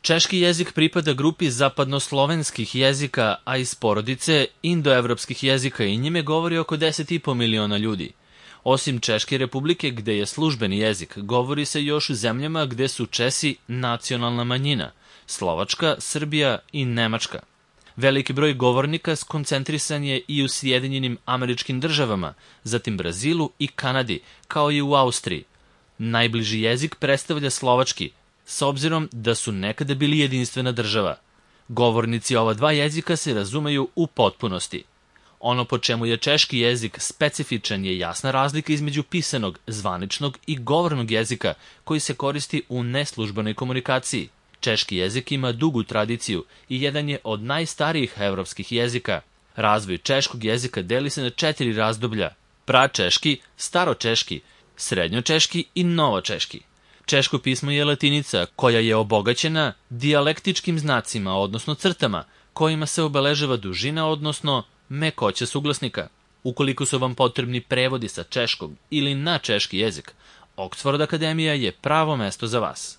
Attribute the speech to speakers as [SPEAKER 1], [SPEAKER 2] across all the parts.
[SPEAKER 1] Češki jezik pripada grupi zapadnoslovenskih jezika, a iz porodice indoevropskih jezika i njime govori oko 10,5 miliona ljudi. Osim Češke republike, gde je službeni jezik, govori se još u zemljama gde su Česi nacionalna manjina, Slovačka, Srbija i Nemačka. Veliki broj govornika skoncentrisan je i u Sjedinjenim Američkim Državama, zatim Brazilu i Kanadi, kao i u Austriji. Najbliži jezik predstavlja slovački, s obzirom da su nekada bili jedinstvena država. Govornici ova dva jezika se razumeju u potpunosti. Ono po čemu je češki jezik specifičan je jasna razlika između pisanog, zvaničnog i govornog jezika koji se koristi u neslužbenoj komunikaciji. Češki jezik ima dugu tradiciju i jedan je od najstarijih evropskih jezika. Razvoj češkog jezika deli se na 4 razdoblja: pračeški, staročeški, srednjočeški i novočeški. Češko pismo je latinica koja je obogaćena dijalektičkim znacima, odnosno crtama, kojima se obeležava dužina, odnosno mekoća suglasnika. Ukoliko su vam potrebni prevodi sa češkog ili na češki jezik, Oxford Akademija je pravo mesto za vas.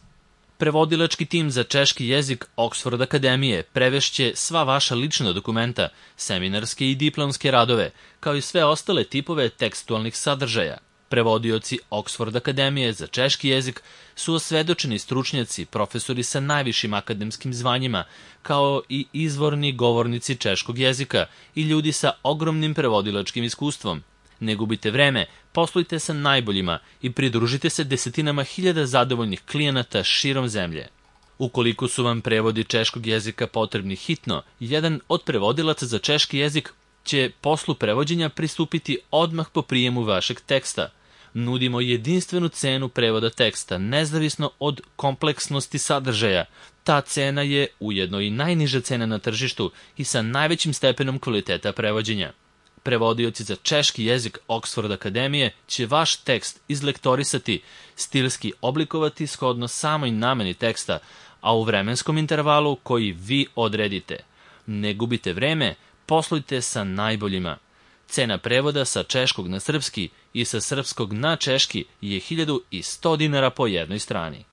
[SPEAKER 1] Prevodilački tim za češki jezik Oxford Akademije prevešće sva vaša lična dokumenta, seminarske i diplomske radove, kao i sve ostale tipove tekstualnih sadržaja. Prevodioci Oxford Akademije za češki jezik su osvedočeni stručnjaci, profesori sa najvišim akademskim zvanjima, kao i izvorni govornici češkog jezika i ljudi sa ogromnim prevodilačkim iskustvom. Ne gubite vreme, poslujte sa najboljima i pridružite se desetinama hiljada zadovoljnih klijenata širom zemlje. Ukoliko su vam prevodi češkog jezika potrebni hitno, jedan od prevodilaca za češki jezik će poslu prevođenja pristupiti odmah po prijemu vašeg teksta. Nudimo jedinstvenu cenu prevoda teksta, nezavisno od kompleksnosti sadržaja. Ta cena je ujedno i najniža cena na tržištu i sa najvećim stepenom kvaliteta prevođenja. Prevodioci za češki jezik Oxford Akademije će vaš tekst izlektorisati, stilski oblikovati shodno samoj nameni teksta, a u vremenskom intervalu koji vi odredite. Ne gubite vreme, poslujte sa najboljima. Cena prevoda sa češkog na srpski i sa srpskog na češki je 1100 dinara po jednoj strani.